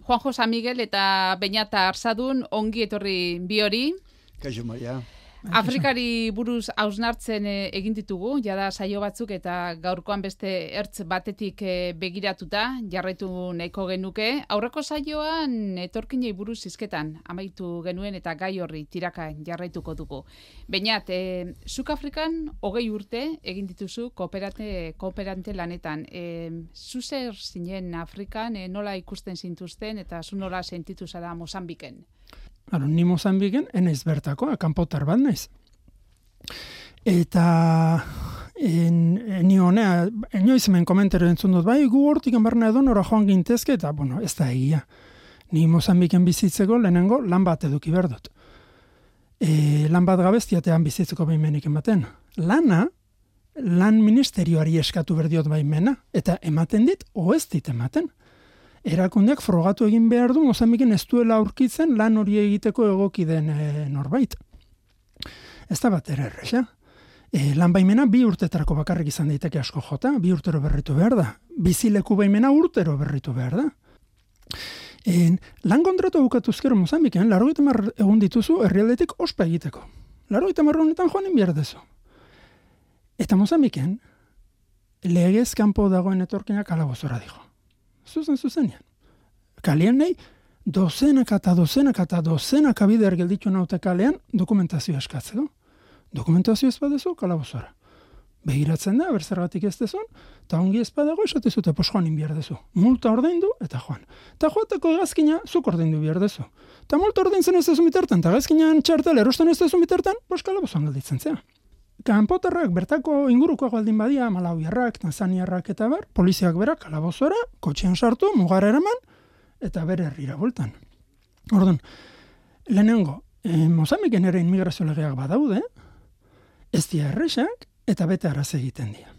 Juanjo San Miguel eta Beñata Arzadun, ongi etorri bi hori. Kaixo Maria. Afrikari buruz hausnartzen egin ditugu, jada saio batzuk eta gaurkoan beste ertz batetik begiratuta jarraitu nahiko genuke. Aurreko saioan etorkinei buruz hizketan amaitu genuen eta gai horri tiraka jarraituko dugu. Beñat, zuk Afrikan 20 urte egin dituzu kooperante lanetan. Zu zer zinen Afrikan, nola ikusten zintuzten eta zu nola sentitu zara Mozambiken? Ni Mozambiken enaiz bertako, kanpotar bat naiz. Eta ni honea, inoiz hemen komentero entzun dut, bai, gu hortik barna edo nora joan gintezke, eta, ez da egia. Ni Mozambiken bizitzeko lehenengo lan bat eduki behar dut. Lan bat gabeztiatean bizitzeko baimenik ematen. Lan ministerioari eskatu berdiot baimena, eta ematen dit, ez dit ematen. Erakundeak frogatu egin behar du, Mozambiken ez duela aurkitzen lan hori egiteko egoki den norbait. Ez da bat erresa. Lan baimena 2 urtetarako bakarrik izan daiteke asko jota, 2 urtero berritu behar da. Bizileku baimena urtero berritu behar da. Lan kontratu bukatuzkero Mozambiken, 80 egun dituzu herrialdetik ospa egiteko. 80 honetan joanen behar dezu. Eta Mozambiken, legez kanpo dagoen etorkinak kalabozora dijo. Zuzenean. Kalean nahi, dozenaka bider gelditu naute kalean dokumentazioa eskatzeko. Dokumentazio ez badezu, kalabozora. Begiratzen da, berzergatik ez dezun, eta ongi ez badago esatezute, joan behar dezu. Multa ordaindu, eta joan. Eta joateko gazkina, zuk ordaindu behar dezu. Eta multa ordaintzen ez dezu bitertan, eta gazkinan txartel erosten ez dezu bitertan, kalabozoan gelditzen zea. Kanpotarrak bertako ingurukoak baldin badia, Malawiarrak, Tanzaniarrak eta poliziak berak kalabozora, kotxean sartu, mugara eraman, eta bere herrira bueltan. Orduan, lehenengo, Mozambiken ere inmigrazio legeak badaude, ez dira erresak, eta bete araz egiten dira.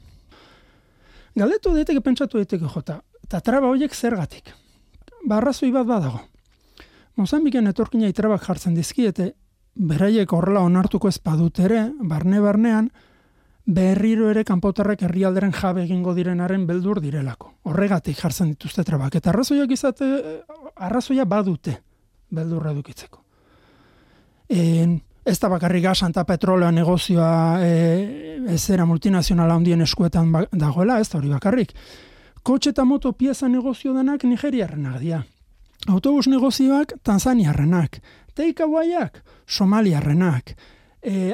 Galdetu daiteke pentsatu daiteke jota, eta traba horiek zergatik. Arrazoi bat badago. Mozambiken etorkina trabak jartzen dizkiete, beraiek horrela onartuko ez badut ere, barnean, berriro ere kanpotarrek herrialderen jabe egingo direnaren beldur direlako. Horregatik jartzen dituzte trabak. Eta arrazoia badute beldurra edukitzeko. Ez da bakarrik gasan eta petroleoa negozioa ezera multinazionala handien eskuetan dagoela, ez da hori bakarrik. Kotxe eta moto pieza negozio denak nigeriarrenak dira. Autobus negozioak tanzaniarrenak. Takeawayak somaliarrenak.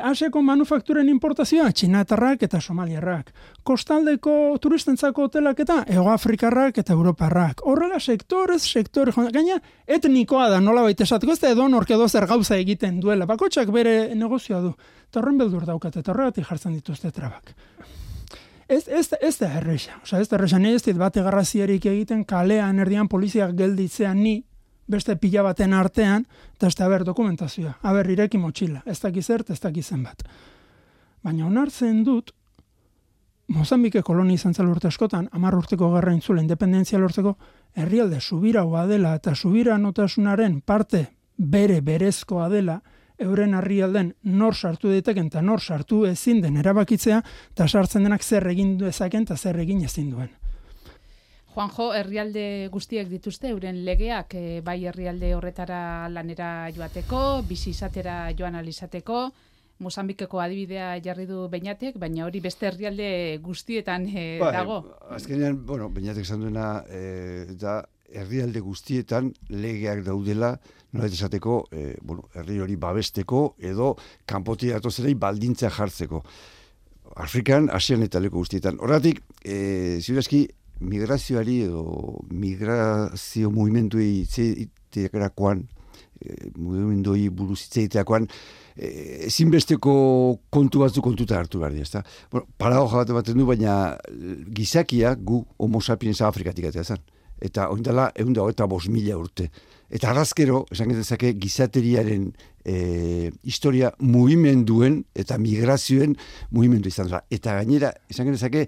Asiako manufakturen importazioa txinatarrak eta somaliarrak. Kostaldeko turistentzako hotelak eta Hegoafrikarrak eta Europarrak. Horrela sektore, gaina etnikoa da nola baita esateko, ez da edo nork edo zer gauza egiten duela. Bakotxak bere negozioa du. Eta horren beldur daukat, eta horregatik jartzen dituzte trabak. Ez da erresa. Ez da erresa, ez dit bate garrazierik egiten kalean erdian poliziak gelditzean ni beste pila baten artean, eta ez da dokumentazioa. Ireki motxila. Ez dakizert, ez dakizen bat. Baina onartzen dut, Mozambike kolonia izan zela urte askotan, 10 urteko gerra intzula independentzia lortzeko, herrialde subiraua dela eta subiranotasunaren parte berezkoa dela, euren herrialden nor sartu daiteken eta nor sartu ezin den erabakitzea, eta sartzen denak zer egin dezaken eta zer egin ezin duen. Juanjo, herrialde guztiek dituzte, euren legeak, bai herrialde horretara lanera joateko, bizi izatera joan alizateko, Mozambikeko adibidea jarri du Beñatek, baina hori beste herrialde guztietan dago. Azkenean, Beñatek esan duena, da herrialde guztietan legeak daudela, nola esateko, herri hori babesteko, edo kanpotik datozerei baldintza jartzeko. Afrikan, Asian eta leku guztietan. Horregatik, ziurazki, migrazioari edo migrazio mugimenduei itzeiterakoan, mugimenduei buruz itzeiterakoan, ezinbesteko kontu batzuk kontuta hartu behar dira. Paradoja bat ematen du, baina gizakia gu homo sapiens Afrikatik atea zen. Eta oindala 125.000 urte. Eta arrazkero, esan genezake, gizateriaren historia mugimenduen eta migrazioen mugimendu izan da. Eta gainera, esan genezake,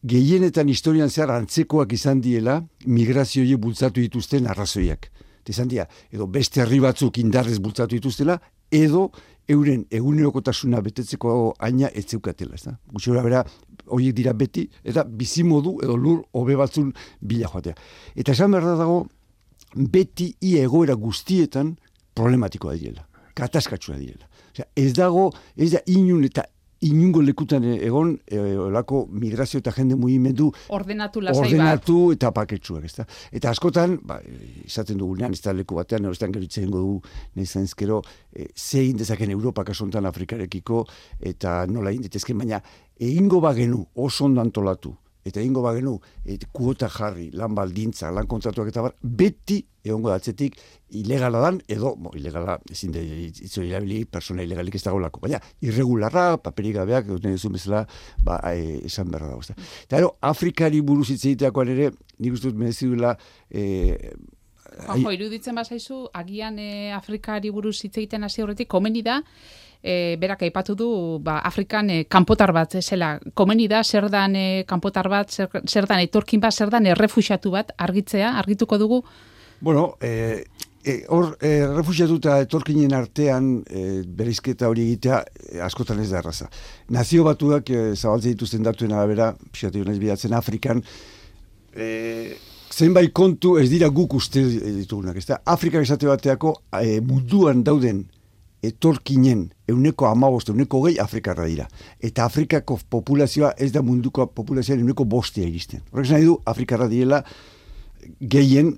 gehienetan historian zehar antzekoak izan diela migrazioie bultzatu dituzten arrazoiak. Izan dira, edo beste herri batzuk indarrez bultzatu dituztela, edo euren egunerokotasuna betetzeko aina etzeukatela. Gutxora bera, horiek dira beti, eta bizimodu edo lur hobe batzun bila joatea. Eta esan behar dago, beti ia egoera guztietan problematikoa direla, kataskatsua direla. Osea, ez da inun eta inungo lekutan egon olako migrazio eta jende mugimendu ordenatu lasai bat. Eta paketsuak, ezta? Eta askotan, izaten dugunean, ez da leku batean, erostean geritzen dugu, nizan ezkero, zein dezaken Europa kasontan Afrikarekiko, eta nola inditezken, baina egingo bagenu oso ondo antolatu, eta egingo bagenu kuota jarri, lan baldintza, lan kontratuak eta bar, beti egongo datzetik ilegala dan, edo, ilegala ezin de itzori erabili persona ilegalik ez dagoelako, baina irregularra, paperik gabeak, duten duzun bezala, esan berra dago. Eta Afrikari buruz hitz egiteakoan ere, nik uste dut merezidula iruditzen bazaizu, agian Afrikari buruz hitz egiten hasi horretik, komeni da, berak aipatu du Afrikan kanpotar bat zela, komeni da zer dan kanpotar bat, zer dan etorkin bat, zer dan errefuxiatu bat argituko dugu? Bueno, hor errefuxiatu eta etorkinen artean bereizketa hori egitea askotan ez da erraza. Nazio Batuak zabaltzen dituzten datuen arabera, pixatu naiz bidatzen Afrikan, zenbait kontu ez dira guk uste ditugunak. Afrikan esate bateako munduan dauden etorkinen 15%, 20% Afrikarra dira. Eta Afrikako populazioa ez da munduko populazioan 5% iristen. Horrek nahi du Afrikarra direla gehien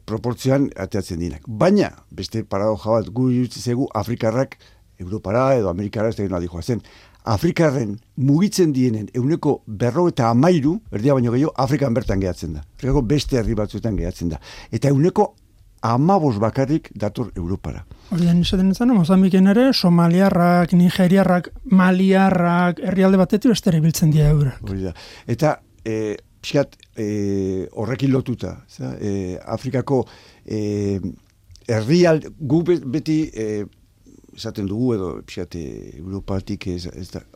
proportzioan ateatzen dinak. Baina, beste paradoja bat, gu irutzezegu Afrikarrak Europara edo Amerikara ez da gero adijoazen. Afrikarren mugitzen dienen 50%, erdia baino gehiago, Afrikan bertan gehatzen da. Afrikako beste herri batzuetan gehatzen da. Eta 15% bakarrik dator Europara. Horien izaten izan, Mozambiken ere, somaliarrak, nigeriarrak, maliarrak, herrialde batetik bestera biltzen dira eurak. Eta pixkat horrekin lotuta. Afrikako herrialde, gu beti esaten dugu edo pixkat Europatik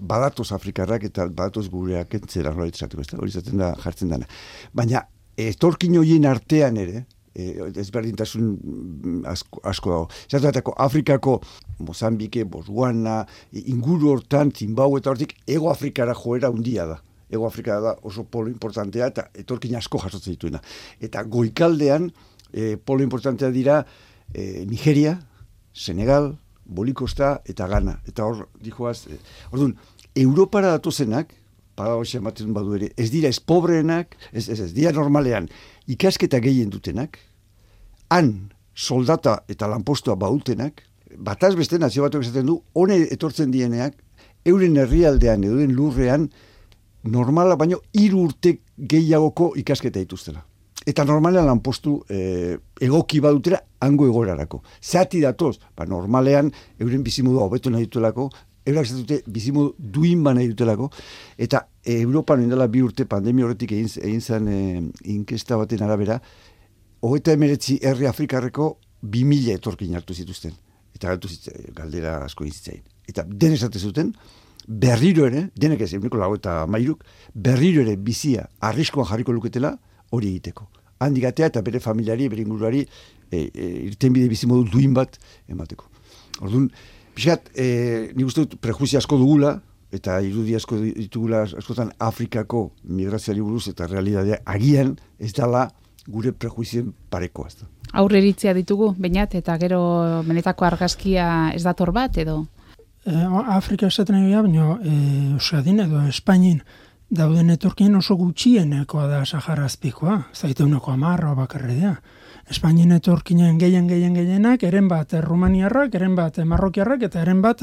badatoz Afrikarrak eta badatoz gureak entzera hori izaten da jartzen dana. Baina etorkin horien artean ere, ezberdintasun asko dago. Zertatako Afrikako Mozambike, Botswana, inguru hortan, Zimbabue eta hortik, Ego Afrikara joera handia da. Ego Afrika da oso polo importantea eta etorkin asko jasotzen dituena. Eta goikaldean polo importantea dira Nigeria, Senegal, Bolikosta eta Ghana. Eta hor, dijoaz, orduan, Europara datozenak, paradoxia ematen badu ere, ez dira ez pobreenak, ez dira normalean, ikasketa gehien dutenak, han soldata eta lanpostua bautenak, bataz beste nazio batuak esaten du, hone etortzen dieneak, euren herrialdean edo den lurrean, normala baino 3 urte gehiagoko ikasketa dituztela. Eta normalean lanpostu egoki badutera hango egorarako. Zati datoz, normalean euren bizimodu hobetu nahi dutelako, eurak zatute bizimodu duin ba nahi dutelako, eta Europan indela 2 urte pandemia horretik egin zen inkesta baten arabera, 39 herri Afrikarreko 2000 etorkin hartu zituzten. Eta galdera asko egin zitzain. Eta den esate zuten, berriro ere, denek ez, 93, berriro ere bizia arriskoan jarriko luketela hori egiteko. Handik atea eta bere familiari, bere inguruari irtenbide bizimodu duin bat emateko. Orduan, pixat, nik uste dut prejuizia asko dugula, eta irudi asko ditugula askotan Afrikako migrazioari buruz eta realitatea agian ez dela gure prejuizien parekoa. Aurreritzia ditugu, bainat, eta gero benetako argazkia ez dator bat, edo? Afrika esaten egia, baina Euskadin edo Espainin dauden etorkien oso gutxienekoa da Sahara Azpikoa, zaiteuneko 10 bakarredea. Espainien etorkinen gehienak, eren bat Rumaniarrak, eren bat Marrokiarrak, eta eren bat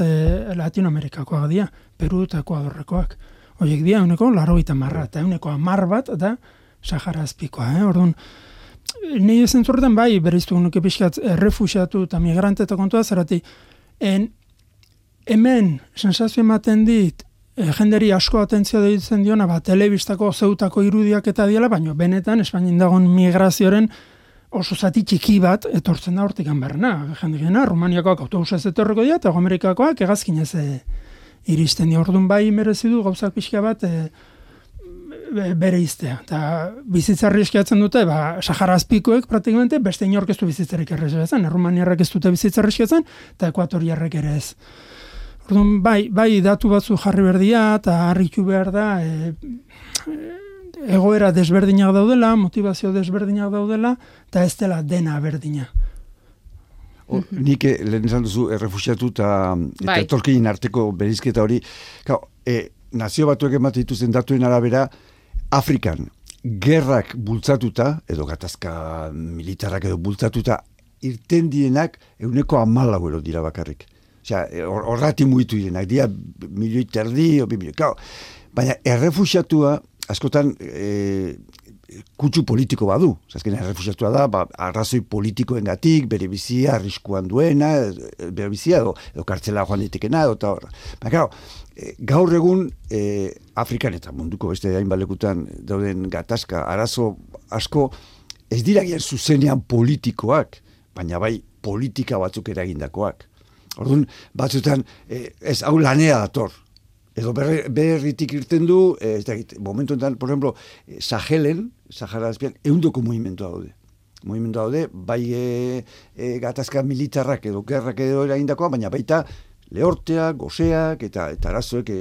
Latinoamerikakoak dira, Peru eta Ekuadorrekoak. Horiek dira, 90 eta 10 bat da Sahara Azpikoa. Orduan, nire zentzorretan bai, bereiztu nuke pixkat errefuxiatu eta migrante eta kontua zerati, hemen sensazio ematen dit, jenderi asko atentzio deitzen diona, telebistako zeutako irudiak eta diela, baina benetan Espainien dagoen migrazioaren oso zati txiki bat etortzen da hortik anberna. Jendekena, Rumaniakoak autobusa ez etorreko dira, eta Amerikakoak egazkinez iristen dira. Orduan bai merezi du gauzak pixka bat bere iztea. Eta bizitzarri eskiatzen dute, Sahara Azpikoek praktikamente beste inork ez du bizitzarik errezatzen. Rumaniarrak ez dute bizitzarri eskiatzen, eta Ekuatoriarrek ere ez. Orduan, bai datu batzu jarri berdia eta harritu behar da egoera desberdinak daudela, motivazio desberdinak daudela, eta ez dela dena berdina. Nik lehen esan duzu errefuxiatu eta etorkinen arteko berizketa hori. Nazio Batuek ematen dituzten datuen arabera, Afrikan gerrak bultzatuta, edo gatazka militarrak edo bultzatuta, irten dienak 14% dira bakarrik. Osea, horrati mugitu direnak, dira 1,5 milioi, 2 milioi. Baina errefuxiatua, askotan, kutsu politiko badu. Azkenean errefuxiatua da, arrazoi politikoengatik, bere bizia arriskuan duena, bere bizia edo kartzela joan ditekena, eta horra. Baina, gaur egun Afrikan eta munduko beste hainbalekutan dauden gatazka, arazo asko, ez dira gian zuzenean politikoak, baina bai politika batzuk eragindakoak. Orduan, batzutan, ez hau lanea dator. Edo berritik irten du, momentu enten, por ejemplo, Sahelen, Sahara azpian, 100 mugimendu daude, bai gatazka militarrak edo gerrak edo eragindakoa, baina baita lehorteak, goseak eta arazoek.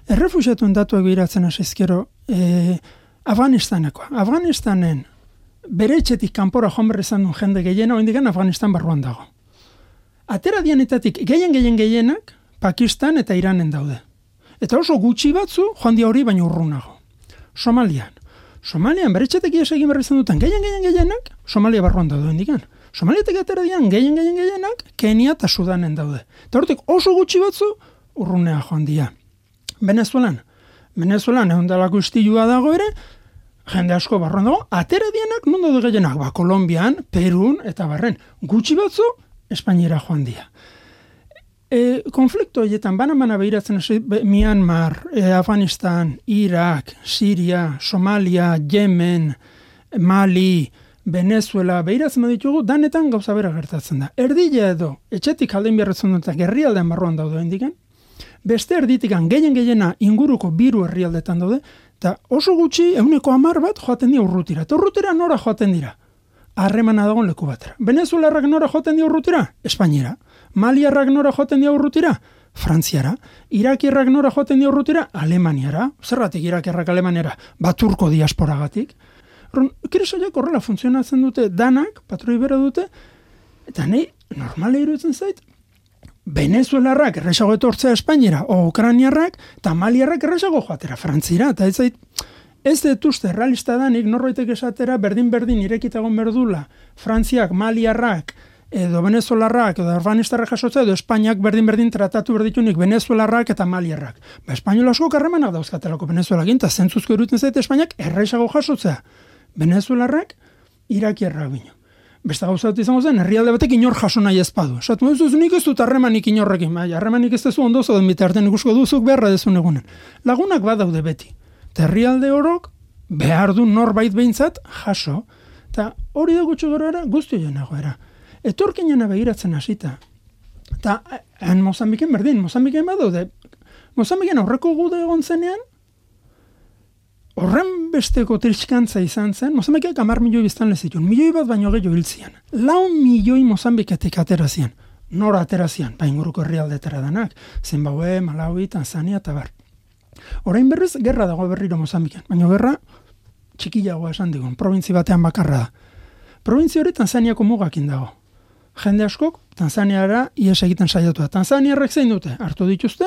Errefuxiatuen datuak biratzen asizkero, Afganistanekoa. Afganistanen bere etxetik kanpora joan berrizan duen jende gehiena, oindikan Afganistan barruan dago. Atera dianetatik gehienak, Pakistan eta Iranen daude. Eta oso gutxi batzu joan dia hori baino urrunago. Somalian beretxetek ies egin berri izan duten gehienak Somalia barruan daude indikan. Somaliatek atera dian gehienak Kenia eta Sudanen daude. Eta hortik oso gutxi batzu urrunea joan dia. Venezuelan eundalako istilua dago ere, jende asko barruan dago, atera dianak non daude gehienak, Kolombian, Perun eta barren. Gutxi batzu Espainiera joan dia. Konflikto horietan bana behiratzen Myanmar, Afganistan, Irak, Siria, Somalia, Yemen, Mali, Venezuela, behiratzen baditugu, danetan gauza bera gertatzen da. Erdila edo, etxetik aldein beharretzen dut, gerrialdean barruan daude indikan, beste erditikan gehiena inguruko 2 herrialdetan daude, eta oso gutxi 10% bat joaten dira urrutira. Eta urrutira nora joaten dira? Harremana dagoen leku batera. Venezuelarrak nora joaten dira urrutira? Espainiera. Maliarrak nora joaten dira urrutira? Frantziara. Irakierrak nora joaten dira urrutira? Alemaniara. Zerratik Irakierrak Alemaniara? Baturko diasporagatik. Kiresaiak horrela funtzionatzen dute danak, patroi bera dute, eta nahi normale iruditzen zait, Venezuelarrak erresago etortzea Espainiera, o Ukrainiarrak, eta Maliarrak erresago joatera Frantzira, eta ez detuzte realista danik norbaitek esatera berdin irekitagon berdula Frantziak, Maliarrak, edo Venezuelarrak, edo Afganistarrak jasotzea, edo Espainiak berdin tratatu berditunik Venezuelarrak eta Maliarrak. Espainola asko karremanak dauzkatelako Venezuelakin, eta zentzuzko iruditzen zaite Espainiak erresago jasotzea. Venezuelarrak, Irakierrak bino. Beste gauza dut izango zen, herrialde batek inor jaso nahi ezpadu. Esatu, nik ez dut harremanik inorrekin, harremanik ez dezu ondo zoden bitartean ikusko duzuk beharra dezun egunen. Lagunak badaude beti. Herrialde horok behar du norbait behintzat jaso. Eta hori da gutxo gero guzti joan nagoera. Etorkinena begiratzen hasita. Eta Mozambiken berdin, Mozambiken badaude. Mozambiken aurreko gude egon zenean, horren besteko tritskantza izan zen, Mozambikek 10 milioi biztanle zituen, 1 milioi bat baino gehiago hiltzian. 4 milioi Mozambiketik aterazian. Nora aterazian? Inguruko herrialdetara danak. Zimbabue, Malawi, Tanzania eta bar. Orain berriz, gerra dago berriro Mozambiken. Baina gerra txikiagoa esan digun, probintzi batean bakarra da. Probintzi hori Tanzaniako mugakin dago. Jende askok Tanzaniara ies egiten saiatu da. Tanzaniarrek zein dute? Hartu dituzte,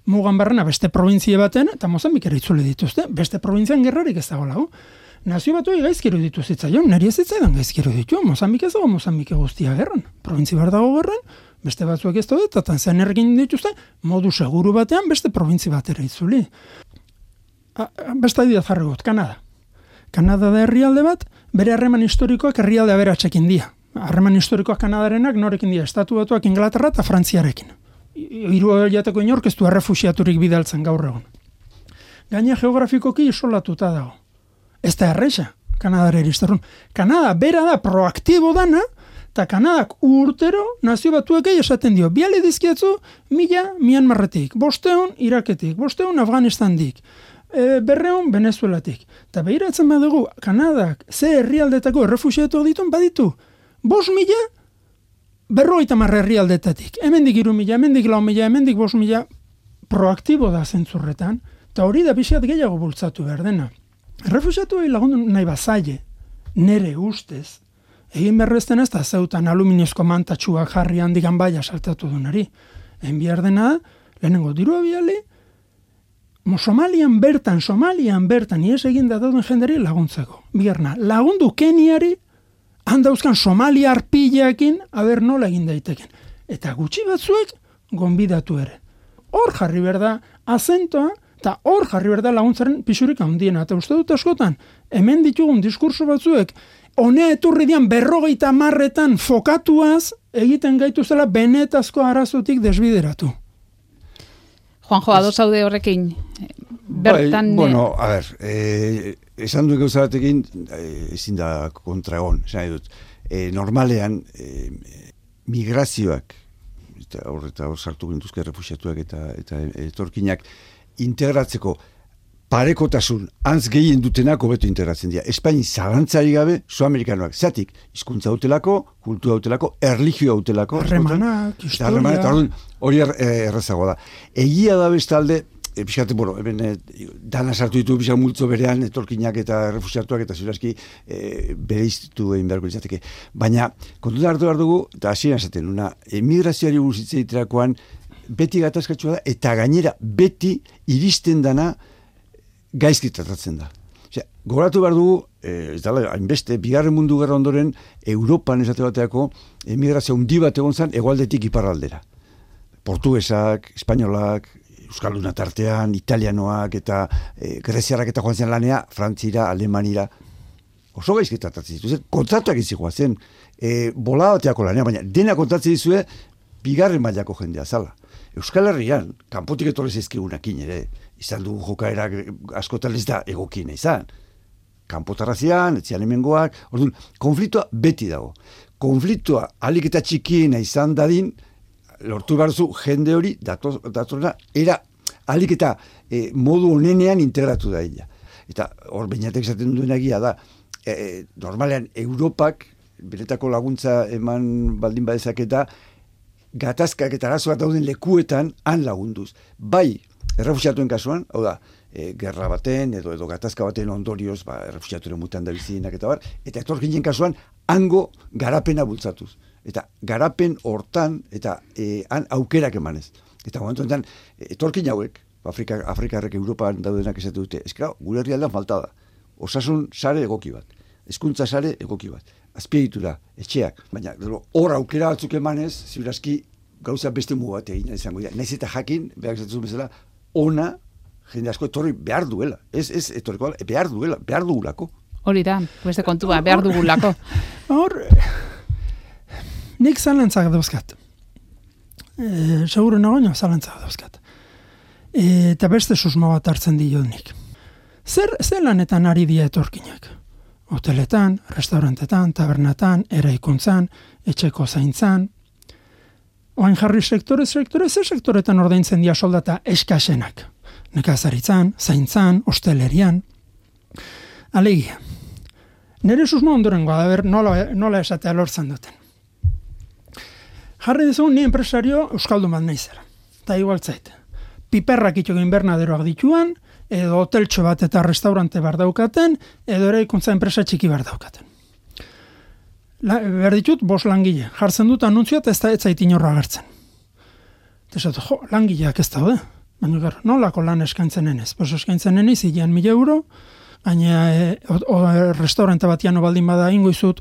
mugan barrena beste probintzie baten, eta Mozambikera itzuli dituzte. Beste probintzian gerrarik ez dago lagu. Nazio Batuei gaizkiru ditu zitzaion, niri ez zitzaidan gaizkiru ditu. Mozambik ez dago Mozambike guztia gerran. Probintzi bar dago gerran, beste batzuek ez daude, eta Tanzaniarrekin dituzte, modu seguru batean beste probintzi batera itzuli. Beste adibidez jarri gut, Kanada. Kanada da herrialde bat, bere harreman historikoak herrialde aberatsekin dira. Harreman historikoak Kanadarenak norekin dira, Estatu Batuak Inglaterra eta Frantziarekin. 3 jateko inork ez du errefuxiaturik bidaltzen gaur egun. Gaina geografikoki isolatuta dago. Ez da erresa, Kanadara iristerrun. Kanada bera da proaktibo dana, eta Kanadak urtero Nazio Batuekei esaten dio, biale dizkiatzu 1000 Myanmarretik, 500 Iraketik, 500 Afganistandik, 200 Venezuelatik. Eta behiratzen badugu, Kanadak ze herrialdetako errefuxiatu ditun baditu, 5.000 50 herrialdetatik. Hemendik 3.000, hemendik 4.000, hemendik 5.000 proaktibo da zentzurretan, Eta hori da pixkat gehiago bultzatu behar dena. Errefuxiatu lagundu nahi bazaile, nere ustez, egin berrezten ez da zeutan aluminiozko mantatxuak jarri handikan baia saltatu dunari. Egin behar dena, lehenengo dirua biali, Somalian bertan, ies egin da dauden jenderi laguntzeko. Bigarna, lagundu Keniari, handauzkan Somalia arpileakin, aber nola egin daiteken. Eta gutxi batzuek, gonbidatu ere. Hor jarri berda azentoa, eta hor jarri berda laguntzaren pixurik handiena. Eta uste dut askotan, hemen ditugun diskurso batzuek, honea eturri dian 50 fokatuaz, egiten gaituzela benetazko arazotik desbideratu. Juanjo, ados zaude horrekin? Bertan... Bueno, a ver, esan duen gauza batekin, ezin da kontra egon, esan dut. Normalean, migrazioak, eta hor sartu gintuzke refuxiatuak eta etorkinak, integratzeko parekotasun antz gehien dutenak hobeto integratzen dira. Espaini zalantzari gabe, Suamerikanoak, zatik, hizkuntza hautelako, kultura hautelako, erlijioa hautelako. Harremanak, historia. Hori errazagoa da. Egia da bestalde, pixkate, bueno, dana sartu ditu pixka multzo berean, etorkinak eta refuxiatuak eta zuraski bereiztu egin beharko izateke. Baina, kontuta hartu behar dugu, eta hasieran esaten, emigrazioari buruz hitz egiterakoan, beti gatazkatsua da, eta gainera beti iristen dana gaizki tratatzen da. Gogoratu behar dugu, ez dala, hainbeste, Bigarren Mundu Gerra ondoren, Europan esate bateako, emigrazio handi bat egon zen, hegoaldetik iparraldera. Portugesak, espainolak, euskalduna tartean, italianoak eta greziarrak eta joan zen lanea, Frantzira, Alemanira, oso gaizki tratatzen ditu. Kontratuak izikoa zen, bola bateako lanea, baina dena kontratzen dizue, bigarren mailako jendea zala. Euskal Herrian, kanpotik etorri zaizkigunakin ere, izan dugu jokaerak askotan ez da egokien izan. Kanpotarrazian, etzian hemengoak, orduan, konfliktoa beti dago. Konfliktoa alik eta txikiena izan dadin, lortu behar zu jende hori, datorna, era alik eta modu honenean integratu da illa. Eta hor beinatek esaten duen egia da, normalean Europak, beretako laguntza eman baldin badezaketa, gatazkak eta arazoak dauden lekuetan han lagunduz. Bai, errefuxiatuen kasuan, hau da, gerra baten edo gatazka baten ondorioz, errefuxiaturen mutan da bizinak eta bar, eta etorkinen kasuan, hango garapena bultzatuz. Eta garapen hortan, eta han aukerak emanez. Eta momentu enten, etorkin hauek, Afrikarrek Europan daudenak esatu dute, eskera, gure herrialdean falta da. Osasun sare egoki bat, hezkuntza sare egoki bat, azpiegitura, etxeak, baina hor aukera batzuk emanez, ziurazki gauza beste mugu bat egin izango dira. Naiz eta jakin, behar esatu bezala, ona, jende asko etorri behar duela. Ez etorriko, behar duela, behar dugulako. Hori da, beste kontua, behar dugulako. Hor, nik zalantzak dauzkat. Seguro nagoino zalantzak dauzkat. Eta beste susmo bat hartzen dio nik. Zer lanetan ari dia etorkinak? Hoteletan, restaurantetan, tabernatan, eraikuntzan, etxeko zaintzan. Oain jarri sektore, ze sektoretan ordaintzen dia soldata eskasenak. Nekazaritzan, zaintzan, hostelerian. Alegia. Nere susmo ondorengoa da ber nola esatea lortzen duten. Jarri dizugun ni enpresario euskaldun bat naizera. Ta igual zait. Piperrak itxo invernaderoak dituan, edo hoteltxo bat eta restaurante bar daukaten, edo eraikuntza enpresa txiki bar daukaten. Behar ditut, 5 langile. Jartzen dut anuntzioa eta ez da etzait inorra agertzen. Eta esatu, langileak ez daude. Baina gara, nolako lan eskaintzen enez? Pues eskaintzen enez, hilean 1.000 euro, baina restaurante batian baldin bada ingoizut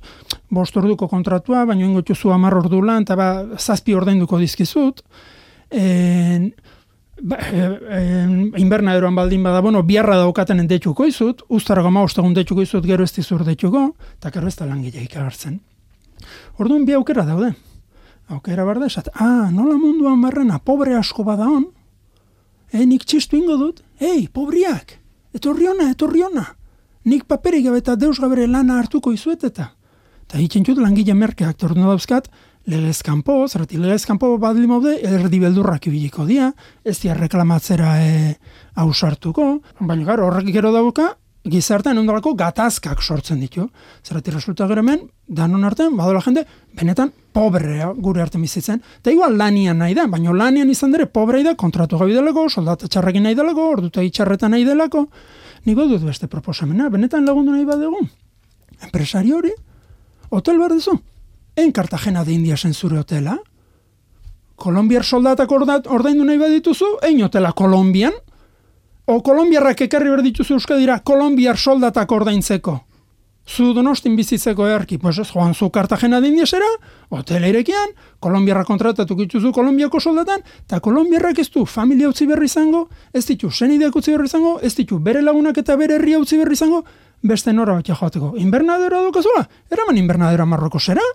5 orduko kontratua, baina ingoituzu 10 ordu lan, eta 7 ordainduko dizkizut. Invernaderoan baldin bada, biarra daukaten endetxuko izut, ustarako 15 egun detxuko izut, gero ez dizur detxuko, eta gero ez da langileik agertzen. Orduan bi aukera daude. Aukera barda esat, nola munduan barrena, pobre asko bada hon, nik txistu ingo dut, pobriak, etorri ona, nik paperik gabe eta deus gabere lana hartuko izuet eta hitxentxut langile merkeak torno dauzkat, legezkanpo, zerrati legezkanpo badli maude, erdi beldurrak ibiliko dia, ez dia reklamatzera hausartuko, baina gara horrek gero dauka, gizartean ondolako gatazkak sortzen ditu. Zerratik resulta gero hemen, danon artean, badola jende, benetan pobrea gure arte bizitzen. Eta igual lanian nahi da, baina lanian izan dere pobrei da, kontratu gabi delako, soldata txarrekin nahi delako, ordutegi txarretan nahi delako. Niko dut beste proposamena, benetan lagundu nahi badugu. Enpresari hori, hotel behar duzu. En Cartagena de Indiasen zure hotela. Kolombiar soldatak ordaindu nahi badituzu, ein hotela Kolombian. O kolombiarrak ekarri behar dituzu Euskadira, kolombiar soldatak ordaintzeko. Zu Donostin bizitzeko erki, pues ez, joan zu Cartagena de Indiasera, hotela irekian, kolombiarrak kontratatuko dituzu Kolombiako soldatan, eta kolombiarrak ez du familia utzi berri izango, ez ditu senideak utzi berri izango, ez ditu bere lagunak eta bere herria utzi berri izango, beste nora batia joateko. Invernadera dukazula? Eraman invernadera Marrokosera?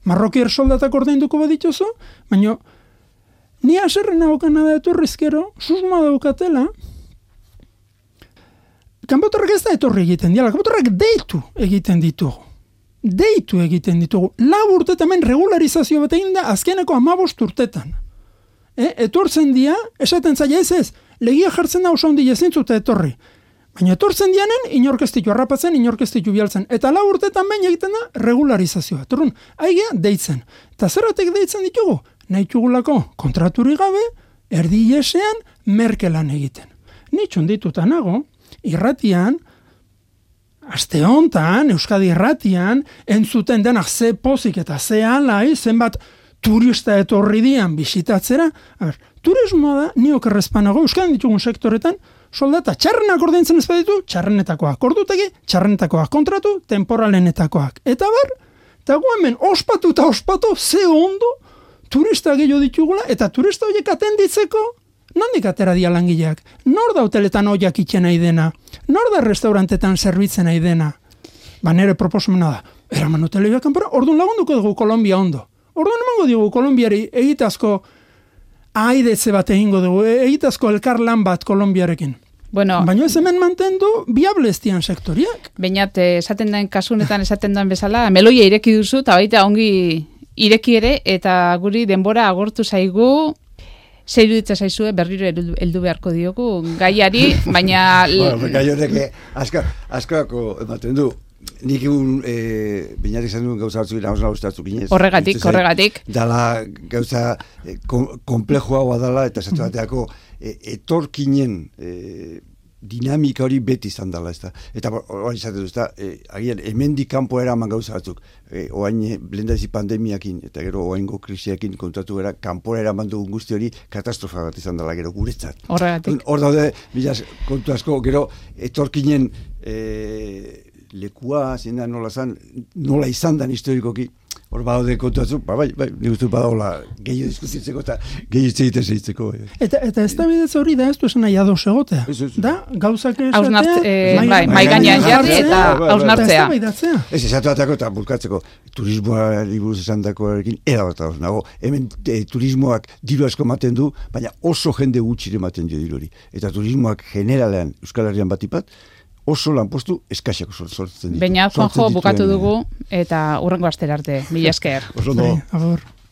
Marrokier soldatak ordainduko badituzu? Baina, ni aserren agokana da etorrizkero, susma daukatela, kanpotarrak ez da etorri egiten diala, kanpotarrak deitu egiten ditugu. Deitu egiten ditugu. 4 urtetan hemen regularizazio bat egin da azkeneko 15 urtetan. Etortzen dia, esaten zaila ez, legia jartzen da oso handi ezintzuta etorri. Baina etortzen dianen, inorkestitu harrapatzen, inorkestitu bialtzen. Eta 4 urtetan behin egiten da regularizazioa. Torrun, aigea deitzen. Eta zerratek deitzen ditugu? Nahi txugulako kontraturi gabe, erdi iesean, merkelan egiten. Nitxun dituta nago, irratian, aste hontan, Euskadi irratian, entzuten denak ze pozik eta ze alai, zenbat turista etorri dian bisitatzera. Turismoa da, niok errezpanago, Euskadi ditugun sektoretan, soldata txarrenak ordaintzen ez baditu, txarrenetakoak ordutegi, txarrenetakoak kontratu, temporalenetakoak. Eta bar, eta gu hemen ospatu eta ospatu, ze ondo, turista gehiago ditugula, eta turista horiek atenditzeko, nondik atera dia langileak? Nor da hoteletan oiak itxen nahi dena? Nor da restaurantetan zerbitzen nahi dena? Ba, nere proposamena da, eraman hoteleak kanpora, orduan lagunduko dugu Kolombia ondo. Orduan emango dugu Kolombiari egitazko aidetze bat egingo dugu, egitazko elkar lan bat Kolombiarekin. Bueno, baina ez hemen mantendu viable estian sektoriak. Beñat, esaten den kasunetan esaten den bezala, meloia ireki duzu, eta baita ongi ireki ere, eta guri denbora agortu zaigu, zer iruditzen zaizue berriro heldu beharko diogu gaiari, baina... Gai horrek askako ematen du. Nik egun Beñatek izan duen gauza batzuk nahoz nahuztatzuk ginez. Horregatik. Dala gauza komplexua dala eta esatu bateako etorkinen dinamika hori beti izan dela, ez da. Eta hori izaten du, ez da, agian, hemendik kanpo eraman gauza batzuk. Oain, lehendazi pandemiakin, eta gero oaingo krisiakin kontatu gara, kanpora eraman dugun guzti hori katastrofa bat izan dela, gero guretzat. Horregatik. Hor daude, bilaz, kontu asko, gero, etorkinen lekua, zena nola izan dan historikoki, hor badaude kontu batzuk, bai, nik uste badaula gehiago diskutitzeko eta gehiago egiten zeitzeko. Eta ez da bidez hori da ez du esan nahi ados egotea. Da, gauzak esatea, mai gainean jarri eta hausnartzea. Ez esatu batako eta bulkatzeko turismoari buruz esan dakoarekin erabat ados nago. Hemen turismoak diru asko ematen du, baina oso jende gutxire ematen dio diru hori. Eta turismoak generalean Euskal Herrian batipat, oso lanpostu eskaxak sortzen ditu. Baina, Juanjo, bukatu dugu, eta hurrengo astera arte. Mila esker. Oso no.